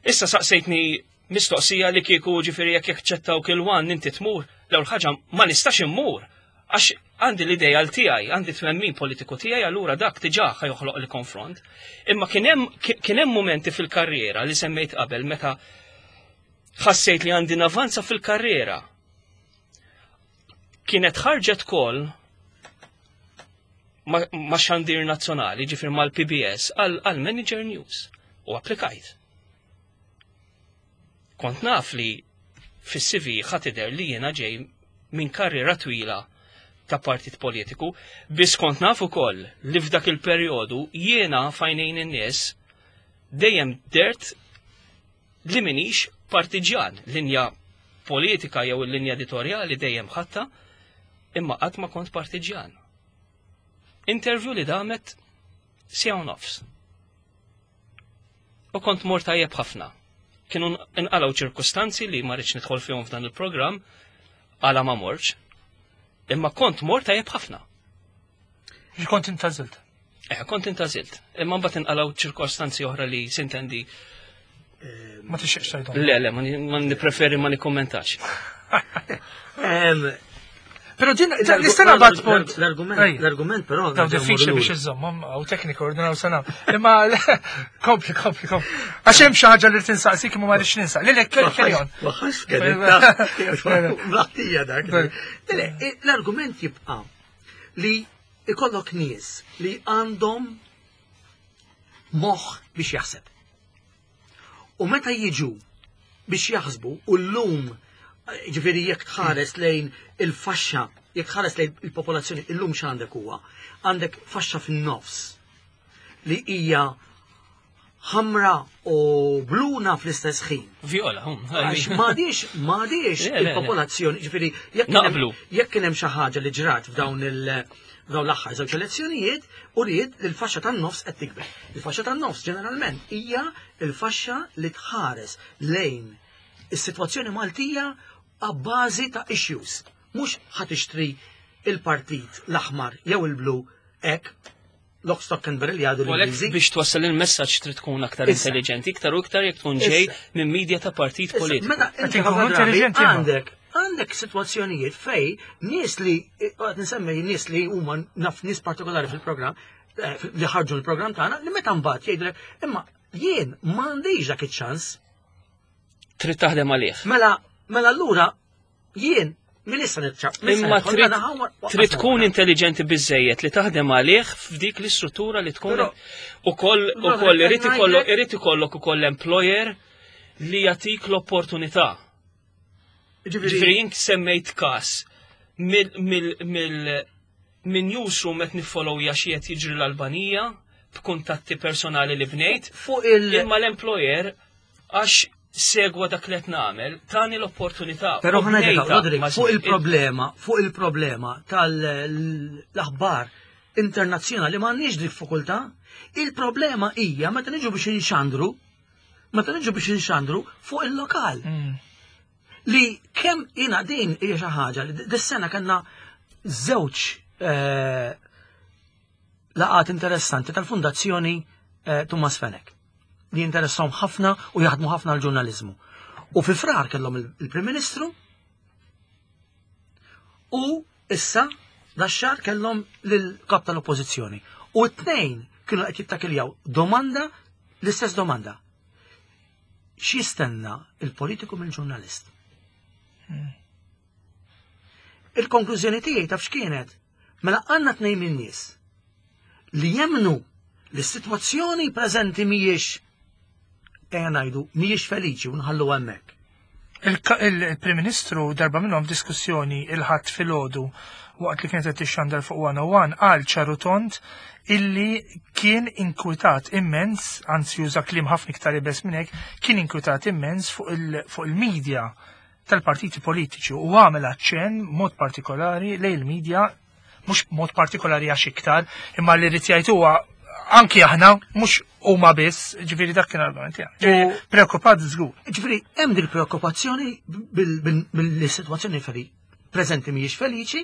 Issa saqsejtni mistoqsija li kieku ġifieri jekk jaċċettawk il-One inti tmur, l-ewwel ħaġa ma nistax immur għax għandi l-ideal tiegħi, għandi twemmin politiku tiegħi, allura dak diġà ħajoħloq li konfront. Imma kien hemm kien hemm momenti fil-karriera li semmejt qabel meta ħassejt li għandi navanza fil-karriera. Kienet ħarġet kol ma' xandir nazzjonali, ġifier mal-P B S, għal Manager News u applikajt. Kont naf li fis-C V ħatider li jiena ġej minn karriera twila ta' partit politiku, biss kont naf ukoll li f'dak il-perjodu jiena fajnejn in-nies dejjem dert li minix partiġjan, linja politika jew il-linja editorjali dejjem ħatta, imma qatt ma kont partiġjan. Interview li damet siegħa u nofs. U kont mor tajjeb ħafna. Kienu nqalgħu ċirkustanzi li ma rridx nidħol fihom f'dan il-programm għala ma morx. Imma kont mor tajjeb ħafna. Kont intażilt? Eh, kont intażilt. Imma mbagħad inqalgħu ċirkostanzi oħra li sintendi. Ma tixtieqx tgħidhom. Le, le, ma nippreferi ma nikkommentax. Però din nista' nabgħat punt. L-argument, l-argument però. Daw diffiċli biex iżommhom hawn tekniku ordinaw sena. Imma kompli, kompli, kompli. Għax hemm xi ħaġa li tinsaqsik imma ma rridx ninsa. Lilek carry on. Ma ħax Blaħtija dak. L-argument jibqa' li ikollok nies li għandhom moħħ biex jaħseb. U meta jiġu biex jaħsbu u llum ġifieri jekk tħares lejn il-faxxa, jekk tħares lejn il-popolazzjoni illum x'għandek huwa, għandek faxxa fin-nofs li hija ħamra u bluna fl-istess ħin. Viola, hum. Għax m'għadix, m'għadix il-popolazzjoni, ġifieri jekk kien hemm xi ħaġa li ġrat f'dawn il- f'dawn l-aħħar żewġ elezzjonijiet u ried li l-faxxa tan-nofs qed tikber. Il-faxxa tan-nofs ġeneralment hija l-faxxa li tħares lejn is-sitwazzjoni Maltija għabbażi ta' issues. Mhux ħa tixtri il-partit l-aħmar jew il-blu hekk lock, stock and barrel jgħidu l-Ingliżi. Biex twassal il-messaġġ trid tkun aktar intelligenti, iktar u iktar jekk tkun ġej minn media ta' partit politiku. Meta inti għandek għandek sitwazzjonijiet fej nies li qed nsemmi nies li huma naf nies partikolari fil-programm li ħarġu l-programm tagħna li meta mbagħad jgħidulek imma jien m'għandix dak iċ-ċans. Trid taħdem għalih. Mela, mela allura jien min issa nitċaq. Imma trid tkun intelligenti biżejjed li taħdem għalih f'dik l-istruttura li tkun ukoll ukoll irid ikollok irid ikollok ukoll employer li jagħtik l-opportunità. Ġifieri jien semmejt każ mill mill minn newsroom qed niffollowja xi qed jiġri l-Albanija b'kuntatti personali li bnejt fuq il imma l-employer għax Segwa dak li qed nagħmel, tani l-opportunità. Però u ħa ngħidlek, bnejta Roderick, ma' fuq żmien. il-problema, fuq il-problema tal-aħbar internazzjonali m'għandniex diffikultà. Il-problema hija meta niġu biex inxandru, meta niġu biex inxandru fuq il-lokal. Mm. Li kemm jina din hija xi ħaġa li dis-sena kellna żewġ eh, laqat interessanti tal-Fundazzjoni eh, Thomas Fenech li interessahom ħafna u jaħdmu ħafna l-ġurnalizmu. U fi Frar kellhom il- il-Prim Ministru u issa dax-xahar kellhom lill-kap tal-Oppożizzjoni. U t-tnejn kienu qed jittakiljaw domanda, l-istess domanda. X'jistenna il-politiku mill-ġurnalist? Il-konklużjoni tiegħi taf x'kienet? Mela għandna tnejn min-nies li jemnu li s-sitwazzjoni preżenti mhijiex, ejja ngħidu, mhijiex feliċi u nħallu hemmhekk. Il-ka- Il-Prim Ministru darba minnhom diskussjoni il-Ħadd filgħodu waqt li kienet qed tixxandar fuq one oh one qal ċar u tond illi kien inkwitat immens, anzi juża kliem ħafna iktar iebes minn hekk, kien inkwitat immens fuq il- fuq il-medja tal-partiti politiċi u għamel aċċenn mod partikolari lejn il-medja, mhux mod partikolari għax iktar, imma li rrid jgħid huwa anki aħna, mhux huma biss, ġifieri dak kien argument tiegħek. Ġifieri preokkupat żgur. Ġifieri hemm dik preokkupazzjoni bil-sitwazzjoni feli preżenti mhijiex feliċi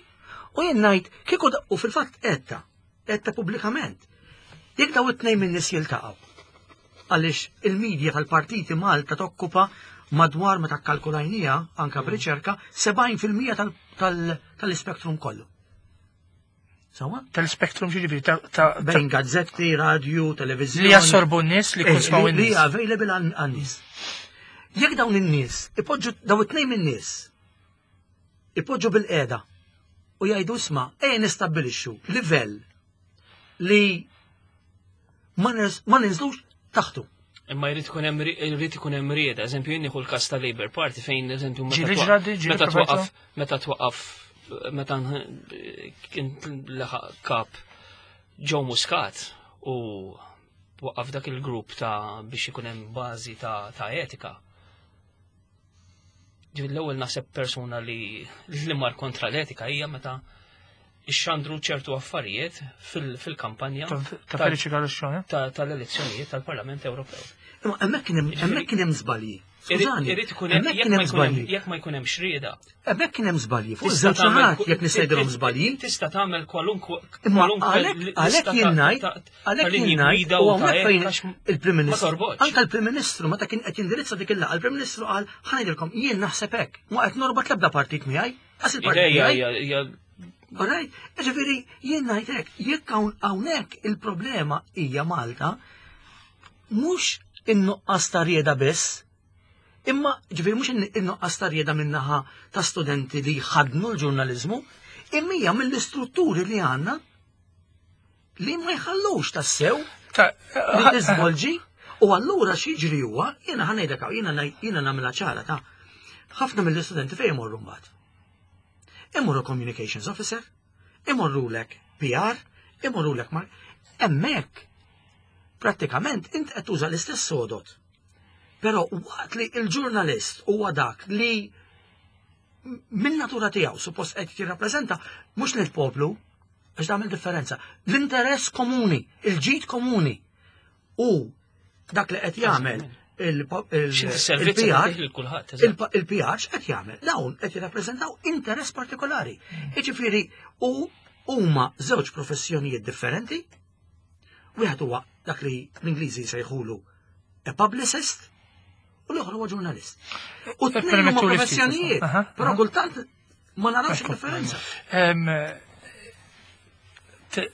u jien ngħid kieku da- u fil-fatt etta, etta pubblikament. Jekk daw it-tnejn minn nies jiltaqgħu, għaliex il-medja tal-partiti Malta tokkupa madwar, meta kkalkulajnija anka b'riċerka, sebgħin fil-mija tal- tal- tal-ispektrum kollu. Sawa? Tal-spektrum ġifieri ta' ta' Bejn gazzetti, radio, televizjoni. Li jassorbu n-nies, li Eh, kunsmaw li- Li n-nies. available għan- għan-nies. Jekk dawn in-nies ipoġġu, daw it-tnejn min-nies ipoġġu bil-qiegħda u jgħidu, "Isma', ejja nistabbilixxu livell li ma ners- ma ninżlux taħtu." Imma jrid ikun hemm ri- jrid ikun hemm rieda, eżempju jien nieħu l-każ ta' Labour Party fejn eżempju meta Ġieli twa- ġradi, ġieli meta provajtu? twaqqaf meta twaqqaf meta nħ- kien laħaq kap Joe Muscat u waqqaf dak il-grupp ta' biex ikun hemm bażi ta' ta' etika. Ġifieri l-ewwel naħseb persuna li li mar kontra l-etika hija meta ixxandru ċertu affarijiet fil- fil-kampanja Ta' ta' Feliċi Calascione. ta- tal-elezzjonijiet tal-Parlament Ewropew. Imma hemmhekk kien hemm hemmhekk kien hemm żbalji. Skużani, Irid ikun hemm hemmhekk jekk kien ma hemm jkun hemm żbalji. jekk ma jkun hemm xrieda. Hemmhekk kien hemm żbalji. Fuq Tista' iż-żewġ tagħmel naħat ku- jekk nista' ngħidilhom żbalji. Tista' tagħmel kwalunkwe Imma kwalunkwe għalhekk lista għalhekk ta' jien ngħid, ta' għalhekk ta' linji jien ngħid gwida u u ta' hawnhekk fejn etika għax il-Prim ma Ministru. torbotx. Anka l-Prim Ministru meta kien qed jindirizza dik il-laqgħa, il-Prim Ministru qal, "Ħa ngħidilkom, jien naħseb hekk, ma qed norbot l-ebda partit miegħi, għas il-partit Ideja miegħi." hija hija Alright, ġifieri jien ngħid hekk, jekk hawn hawnhekk il-problema hija Malta mhux in-nuqqas ta' rieda biss, imma ġifieri mhux in-nuqqas ta' rieda min-naħa ta' studenti li jħadnu l-ġurnaliżmu, imma hija mill-istrutturi li għandna li ma jħallux tassew Ta' li tiżvolġi. U allura x'jiġri huwa, jiena ħa ngħidlek hawn, jiena ngħid- jiena nagħmilha ċara ta' ħafna mill-istudenti fejn imorru mbagħad. Imorru communications officer, imorru lek P R, imorru lek mar. Hemmhekk prattikament int qed tuża l-istess sodot. Però waqt li il-ġurnalist huwa dak li min natura tiegħu suppost qed jirrappreżenta mhux lill-poplu, għax tagħmel differenza, l-interess komuni, il-ġid komuni u dak li qed jagħmel X'inti servizz il-P R tagħtih lil kulħadd, eżatt. Il-P R x'qed jagħmel? Dawn qed jirrappreżentaw interess partikolari. Jiġifieri u huma żewġ professjonijiet differenti. Wieħed huwa dak li l-Ingliżi jsejħulu a publicist u l-oħra huwa ġurnalist. U t-tnejn huma Permettu li ftit, professjonijiet, aha, però aha. kultant ma narawx il-differenza. Em, te-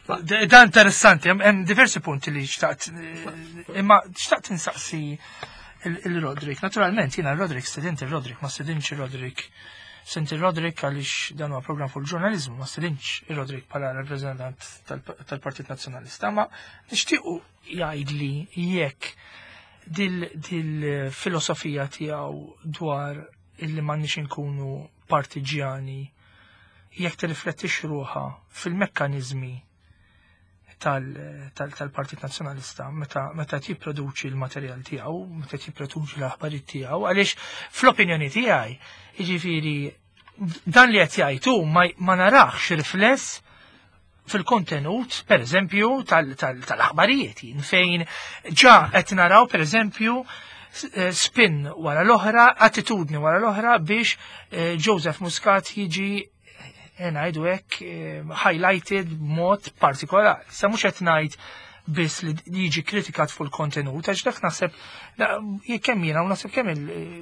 Da da interessanti, hemm hemm diversi punti li xtaqt, eh, imma xtaqt insaqsi il-Roderick. Naturalment, jiena Roderick, stedint il-Roderick, ma stedintx il-Roderick. Stedint il-Roderick għaliex dan huwa program fuq il-ġurnalizmu, ma stedintx il-Roderick bħala rappresentant tal-Partit Nazzjonalista, ma nixtiequ jgħidli jekk dil-filosofija tiegħu dwar illi m'għandniex inkunu partiġjani jekk tirriflettix ruħha fil-mekkaniżmi tal-Partit Nazzjonalista meta meta jipproduċi l-materjal tiegħu, meta jipproduċi l-aħbarijiet tiegħu, għaliex fl-opinjoni tiegħi, jiġifieri dan li qed jgħid ma narax rifless fil-kontenut, per eżempju, tal-aħbarijiet, fejn ġa qed naraw, per eżempju, spin wara l-oħra, attitudni wara l-oħra biex Joseph Muscat jiġi, ngħidu hekk, highlighted b'mod partikolari. Sa mhux qed ngħid biss li jiġi kritikat fuq il-kontenut, għax dak naħseb kemm jiena u naħseb kemm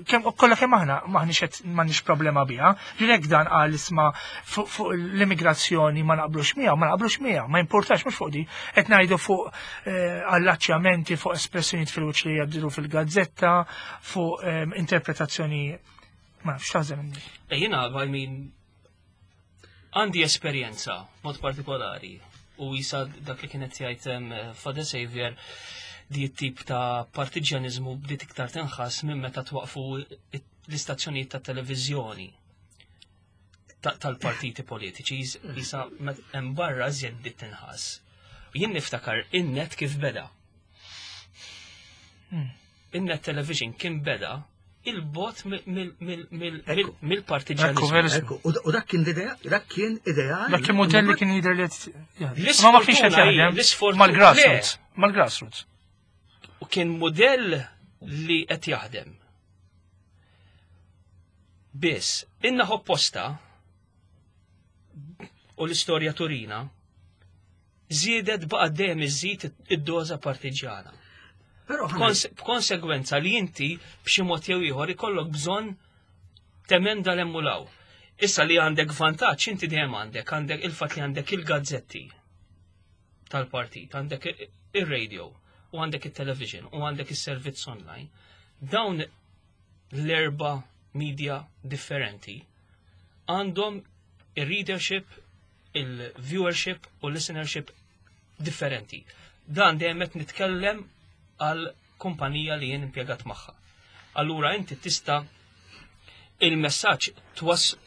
kemm kollha kemm aħna m'aħniex qed m'għandniex problema biha. Ġilek dan qal isma' fuq l-immigrazzjoni ma naqblux miegħu, ma naqblux miegħu, ma importax mhux fuq di. Qed ngħidu fuq allaċċjamenti, fuq espressjonijiet fil-wiċċ li jgħaddilu fil-gazzetta, fuq interpretazzjoni ma nafx taħżen. Jiena, I mean, għandi esperjenza mod partikolari u jisa dak li kienet jgħid Father Xavier di tip ta' partiġjanizmu bdiet iktar tinħass minn meta twaqfu l-istazzjonijiet ta' televiżjoni tal-partiti politiċi, jisa hemm barra żjed bdiet tinħass. Jien niftakar in-net kif beda. In-net television kien beda il-bot mill-partiġjanizmu. U dak kien dak kien ideali. Dak kien modell li kien jidher li ma ma kienx qed jaħdem mal-grassroots, mal-grassroots. U kien modell li qed jaħdem. Biss, inna opposta u l-istorja turina żiedet baqa' dejjem iżid id-doża partiġjana. B'konsegwenza li inti b'xi mod jew ieħor ikollok bżonn temenda l-emmulaw. Issa li għandek vantaġġ inti dejjem għandek, għandek il-fatt li għandek il-gazzetti tal-partit, għandek ir-radio, u għandek it-television, u għandek is-servizz online. Dawn l-erba' media differenti għandhom ir-readership, il-viewership u l-listenership differenti. Dan dejjem qed nitkellem għal kumpanija li jien impjegat magħha. Allura inti tista' il-messaġġ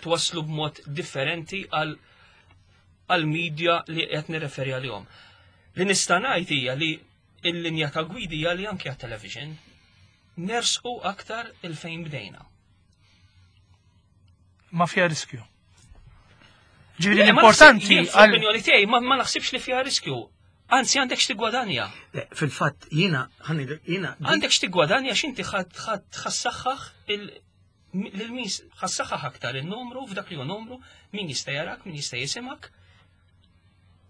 twasslu b'mod differenti għal għal media li qed nirreferi għalihom. Li nista' ngħid hija li l-linja ta' gwidi hija li anke għat-television nersqu aktar il-fejn bdejna. Ma fiha riskju. Ġifieri l-importanti għall-opinjoni tiegħi ma naħsibx li fiha riskju. Anzi, għandek x'tigwadanja. Fil-fatt, jiena, jiena. Għandek x'tigwadanja x'inti ħassaħħaħ il-min ħassaħħaħ aktar il-numru f'dak li hu numru, min jista' jarak, min jista' jisimak.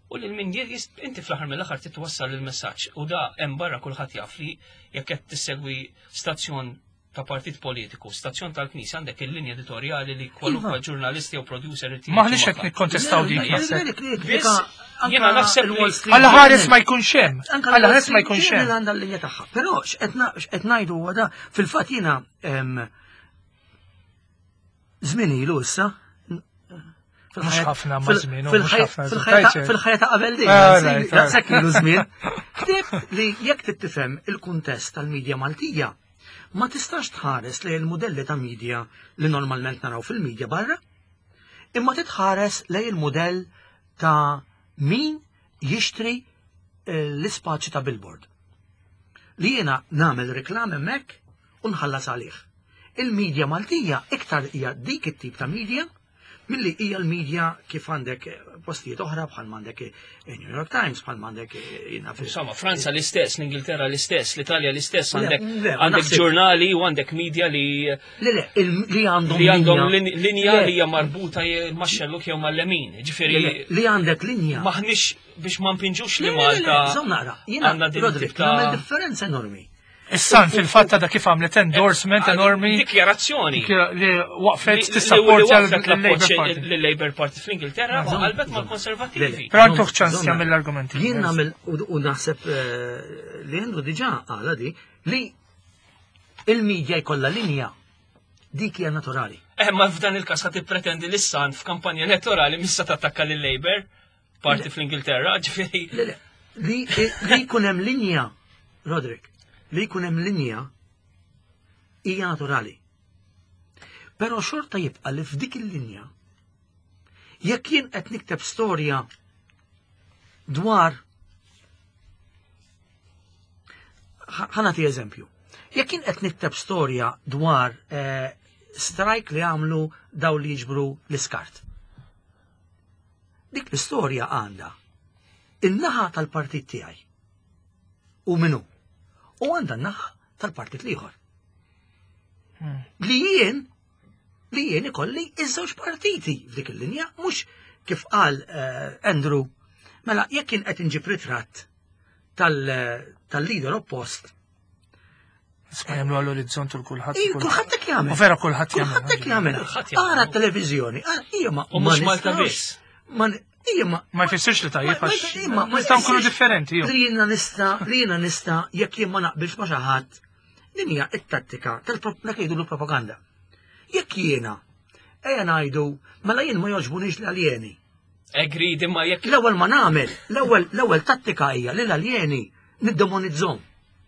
U lil min inti fl-aħħar mill-aħħar titwassal il-messaġġ. U da hemm barra kulħadd jaf li jekk qed tissegwi stazzjon ta' partit politiku, stazzjon tal-Knisja, għandek il-linja editorjali li kwalunkwe ġurnalisti jew producer. Maħniex qed nikkontestaw dik. Jiena naħseb li Alla ħares ma jkunx hemm. Alla ħares ma jkunx hemm. Għandha l-linja tagħha. Però x'qed ngħidu huwa da fil-fatt jiena żmien ilu issa. Mhux ħafna ma' żmien, mhux ħafna. Fil-ħajja ta' qabel din, daqshekk ilu żmien. Ktibt li jekk tittifhem il-kuntest tal-medja Maltija, ma tistax tħares lejn il-modelli ta' media li normalment naraw fil-medja barra, imma titħares lejn il-modell ta' min jixtri l-ispaċi ta' billboard. Li jiena nagħmel reklam hemmhekk u nħallas għalih. Il-medja Maltija iktar hija dik it-tip ta' media milli hija l-medja kif għandek postijiet oħra bħal m'għandek New York Times, bħal m'għandek jiena fil- Insomma, Franza l-istess, l-Ingilterra l-istess, l-Italja l-istess, għandek għandek ġurnali u għandek media li Le, le, li għandhom li għandhom linja li hija marbuta max-xelluk jew mal-lemin. Ġifieri li għandek linja. Maħniex biex ma npinġux li Malta. Żomm naqra, jiena Roderick, nagħmel differenza enormi. Issa fil-fatt ta' kif għamlet endorsement enormi. Dikjarazzjoni. Li waqfet tissapportja l-Labour Party fl-Ingilterra u qalbet mal-Konservattivi. Però għandu ċans jagħmel l-argumenti. Jien nagħmel u naħseb li għandu diġà għala di li il-medja jkollha linja dik hija naturali. Eh, ma f'dan il-każ ħa tippretendi li San f'kampanja elettorali missa tattakka lil-Labour Party fl-Ingilterra, ġifieri. Li jkun hemm linja, Roderick, li jkun hemm linja hija naturali. Però xorta jibqa' li f'dik il-linja jekk jien qed nikteb storja dwar Ħa nagħti eżempju. Jekk jien qed nikteb storja dwar eh, strike li għamlu daw li jiġbru l-iskart. Dik l-istorja għandha in-naħa tal-partit tiegħi. U minnu. U għandha n-naħa tal-partit l-ieħor. Li jien li jien ikolli iż-żewġ partiti f'dik il-linja, mhux kif qal eh, Andrew, mela jekk kien qed inġib ritratt tal- tal-leader oppost, Isma' jagħmlu għall-orizzont u kulħadd. Ej, kulħadd hekk jagħmel. U vera kulħadd jagħmel. Kulħadd hekk jagħmel. Kulħadd jagħmel. Ara t-televiżjoni, ara hija ma U ma mhux Malta nistgħux- biss. Ma hija ma Ma jfissirx li tajjeb Ma- għax ma- imma- ma nistgħu nkunu jfissirx differenti. Ju. Li jiena nista' li jiena nista' jekk jien ma naqbilx ma xi ħadd. Din hija t-tattika tal-dak jgħidu l-propaganda. Jekk jiena ejja ngħidu mela jien ma jogħġbunix l-aljeni. Agreed, imma jekk L-ewwel ma nagħmel, l-ewwel l-ewwel tattika hija li l-aljeni niddemonizzhom.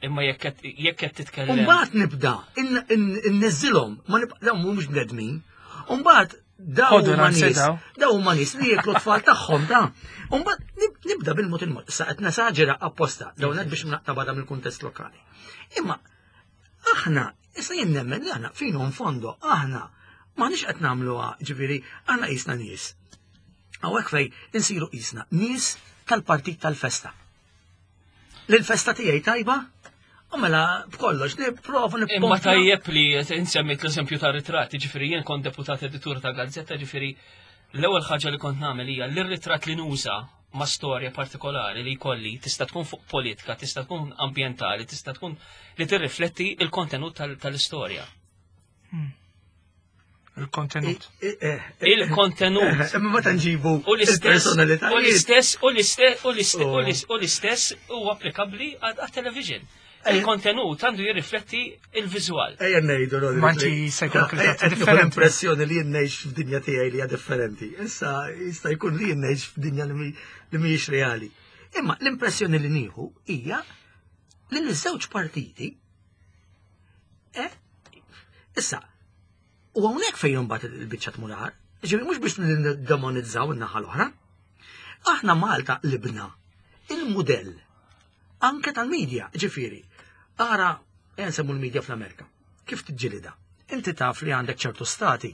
imma jekk qed jekk qed titkellem. Umbagħad nibda in- in- inniżżilhom, ma nibqa' dawn mhumiex bnedmin. Umbagħad daw Ħodu huma ransi nies, daw. daw huma nies li jieklu tfal tagħhom ta' Umbagħad nib- nibda bil-mod il-mod. Issa qed nesaġera apposta, dawn qed biex naqta' barra mill-kuntest lokali. Imma aħna, issa jien nemmen li aħna fino in fondo, aħna m'aħniex qed nagħmluha, ġifieri, aħna qisna nies. Hawnhekk fej insiru qisna nies tal-partit tal-festa. L-festa tiegħi tajba, u mela b'kollox nipprova Imma nippompja. tajjeb li insemmit l-eżempju ta' ritratti, ġifieri jien kont deputat editur ta' gazzetta, ġifieri l-ewwel ħaġa li kont nagħmel hija li r-ritratt li nuża ma' storja partikolari li jkolli tista' tkun fuq politika, tista' tkun ambjentali, tista' tkun li tirrifletti il-kontenut tal- tal-istorja. Il-kontenut. Eh, eh, eh, Il-kontenut. Imma meta nġibu U l-istess, u il-personalitajiet. l-istess, u l-istess, u l-istess, Oh. u l-istess, u l-istess huwa applikabbli għat-television. Eh. Il-kontenut għandu jirrifletti il-viżwal. Ejja ngħidu Rodri. Ma inti se jkollok Eh, ritratti qed nieħu differenti. L-impressjoni li jien ngħix f'dinja tiegħi li hija differenti. Issa jista' jkun li jien ngħix f'dinja li mi- li mhijiex reali. Imma l-impressjoni li nieħu hija li l-żewġ partiti eh, issa u hawnhekk fejn imbagħad il-biċċa tmur agħar. Ġifieri mhux biex nindemonizzaw in-naħa l-oħra. Aħna Malta libna il-mudell anke tal-medja, ġifieri. Ara, ejja nsemmu l-medja fl-Amerika. Kif tiġġilida? Inti taf li għandek ċertu stati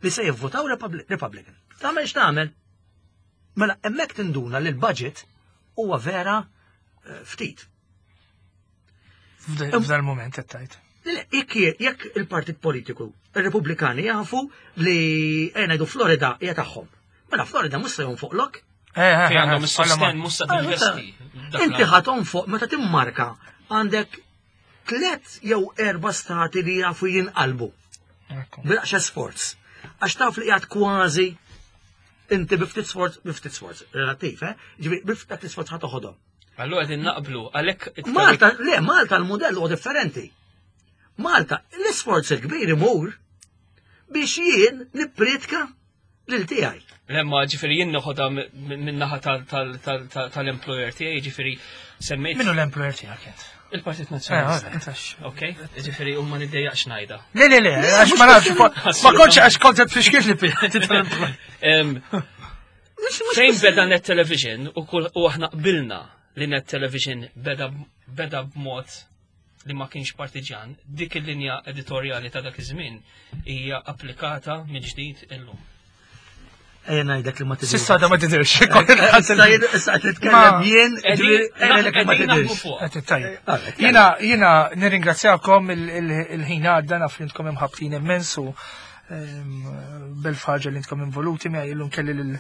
li se jivvotaw Republi- Republican. Tagħmel x'tagħmel? Mela hemmhekk tinduna li l-budget huwa vera eh, ftit. F'dal moment qed tgħid. Le, Jekk jekk il-partit politiku, il-Repubblikani jafu li ejja ngħidu Florida hija tagħhom. Mela Florida mhux se jonfoqlok. Eh, eh, Fejn għandhom eh, is-sosten mhux se Ah, tinvesti. Dak Inti l- ħa tonfoq meta timmarka għandek tlet jew erba stati li jafu jinqalbu. Ekku. Bilaqxa sforz. Għax taf li qiegħed kważi inti biftit sforz, biftit sforz, relattiv, eh? Ġifieri biftit sforz ħa toħodhom. Allura qegħdin naqblu għalhekk Malta, le, Malta l-modell huwa differenti. Malta, l-isforz il-kbir imur biex jien nippritka lil tiegħi. Lemma ġifieri jien noħodha minn naħa tal-employer tiegħi, ġifieri semmejt Minnu l-employer tiegħek int? il-Partit Eh, Nazzjonalista. alright, għax- Ok, ġifieri u ma niddejjaqx ngħidha. Le, le, le, għax ma nafx, ma kontx għax kont qed tfixkil li Em, Mhux- mhux Fejn biss- beda Net Television u kull u aħna qbilna li Net Television beda beda b'mod li ma kienx partiġan, dik il-linja editorjali ta' dak iż-żmien hija applikata mill-ġdid illum. Ejja ngħidlek li ma tidhirx. S'issa da ma tidirx. Issa jien- issa qed nitkellem Ma- jien, ġifieri, ejja ngħidlek li ma Qegħdin naħdmu tidhirx. fuq. Qed tajjeb. Alright, Jiena jiena nirringrazzjakom il- il- il-ħin għadda naf li intkom imħabtin immens u ehm, bil-ħaġa li intkom involuti miegħi illum kelli lil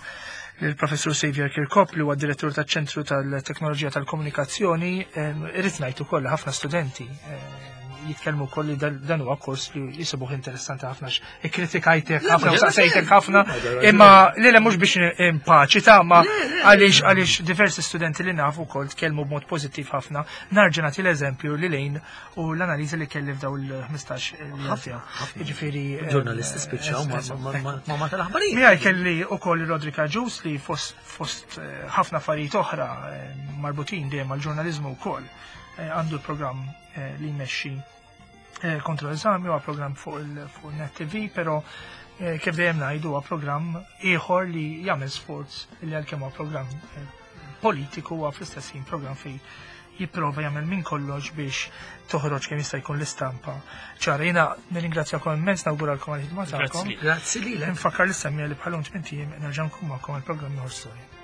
lill-professur Xavier Kirkop li huwa direttur taċ-Ċentru tal-Teknoloġija tal-Komunikazzjoni, ehm, irrid ngħid ukoll li ħafna studenti ehm, jitkellmu wkoll li dan dan huwa kors li jisibuh interessanti ħafna għax ikkritikajtek ħafna u saqsejtek ħafna imma li le mhux biex impaċi ta' ma għaliex għaliex diversi studenti li nafu wkoll tkellmu b'mod pożittiv ħafna. Narġa' nagħti l-eżempju li lejn u l-analiżi li kelli f'daw il-ħmistax li Ħafna, għaddew. ħafna. Jiġifieri ehm, Ġurnalisti spiċċaw ma- ma- ma- ma' ma tal-aħbarijiet. Miegħi kelli ukoll Rodrik Agius li fost fost eh, ħafna affarijiet oħra eh, marbutin dejjem mal-ġurnaliżmu wkoll eh, għandu l-programm eh, li jmexxi eh, kontro eżami huwa programm fuq il fuq Net T V, però eh, kif dejjem ngħidu huwa programm ieħor li jagħmel sforz li għalkemm huwa programm eh, politiku huwa fl-istess ħin programm fejn Jipprova jagħmel minn kollox biex toħroġ kemm jista' jkun l-istampa. Ċara, jiena nirringrazzjakom immens, nawguralkom għal-ħidma tagħkom. Grazzi lilek. Nfakkar lis-semmiegħa li bħal-lum tmint ijiem nerġa' nkun magħkom għal programm ieħor storja.